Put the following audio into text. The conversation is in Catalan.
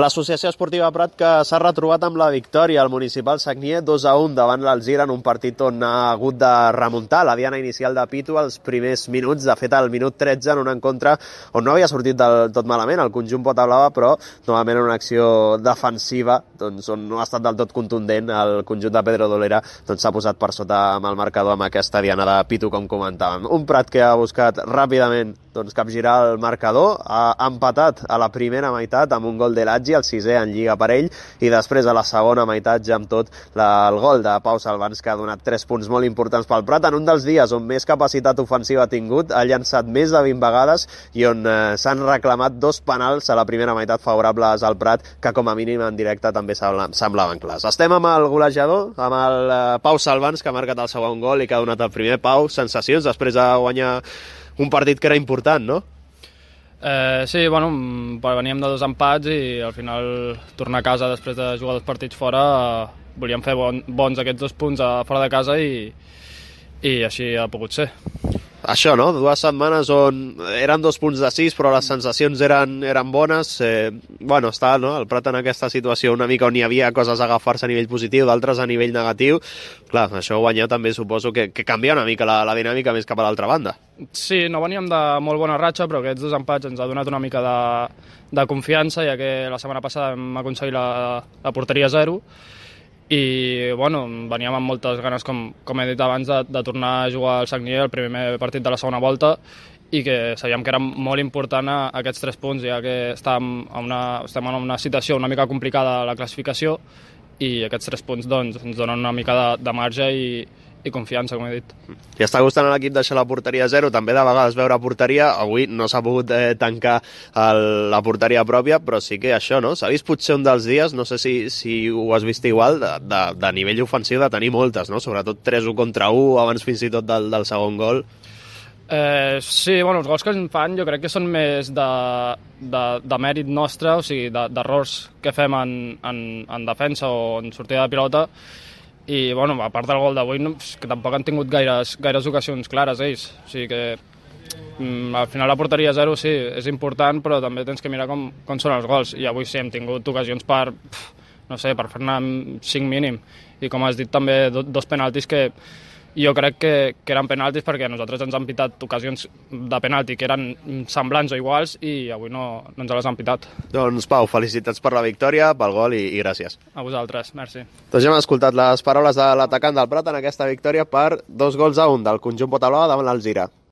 L'Associació Esportiva Prat que s'ha retrobat amb la victòria al Municipal Sagnier 2-1 davant l'Alzira en un partit on ha hagut de remuntar la diana inicial de Pitu als primers minuts. De fet, al minut 13 en un encontre on no havia sortit del tot malament el conjunt Potablava, però novament en una acció defensiva doncs, on no ha estat del tot contundent el conjunt de Pedro Dolera s'ha posat per sota amb el marcador amb aquesta diana de Pitu, com comentàvem. Un Prat que ha buscat ràpidament capgirar el marcador, ha empatat a la primera meitat amb un gol de l'Atgi, el 6è en Lliga per ell, i després a la segona meitat ja amb tot el gol de Pau Salvans, que ha donat 3 punts molt importants pel Prat en un dels dies on més capacitat ofensiva ha tingut, ha llançat més de 20 vegades i on s'han reclamat 2 penals a la primera meitat favorables al Prat, que com a mínim en directe també semblaven clars. Estem amb el golejador, amb el Pau Salvans, que ha marcat el segon gol i que ha donat el primer. Pau, sensacions després de guanyar un partit que era important, no? Sí, bueno, veníem de 2 empats i al final tornar a casa després de jugar 2 partits fora volíem fer bons aquests 2 punts fora de casa i així ha pogut ser. Això, no? 2 setmanes on eren 2 punts de 6, però les sensacions eren bones. Bueno, està, no? El Prat en aquesta situació una mica on hi havia coses a agafar-se a nivell positiu, d'altres a nivell negatiu. Clar, això guanyar també suposo que canvia una mica la dinàmica més cap a l'altra banda. Sí, no veníem de molt bona ratxa, però aquests 2 empats ens ha donat una mica de confiança, ja que la setmana passada hem aconseguit la porteria 0. I bueno, veníem amb moltes ganes, com he dit abans, de tornar a jugar al Sagnier el primer partit de la segona volta i que sabíem que era molt important aquests 3 punts, ja que estem en una situació una mica complicada a la classificació i aquests 3 punts doncs, ens donen una mica de marge i confiança, com he dit. I està gustant a l'equip deixar la porteria 0, també de vegades veure porteria. Avui no s'ha pogut tancar la porteria pròpia, però sí que això, no? S'ha vist potser un dels dies, no sé si ho has vist igual, de nivell ofensiu de tenir moltes, no? Sobretot 3-1 contra 1, abans fins i tot del segon gol. Sí, bueno, els gols que ens fan jo crec que són més de mèrit nostre, o sigui, d'errors que fem en defensa o en sortida de pilota. I, bueno, a part del gol d'avui, que tampoc han tingut gaires ocasions clares ells. O sigui que al final la porteria 0 sí, és important, però també tens que mirar com són els gols. I avui sí, hem tingut ocasions per fer-ne 5 mínim. I com has dit també, 2 penaltis que jo crec que eren penaltis perquè nosaltres ens han pitat ocasions de penalti que eren semblants o iguals i avui no ens les han pitat. Doncs Pau, felicitats per la victòria, pel gol i gràcies. A vosaltres, merci. Doncs ja hem escoltat les paraules de l'atacant del Prat en aquesta victòria per 2-1 del conjunt Potablava davant l'Alzira.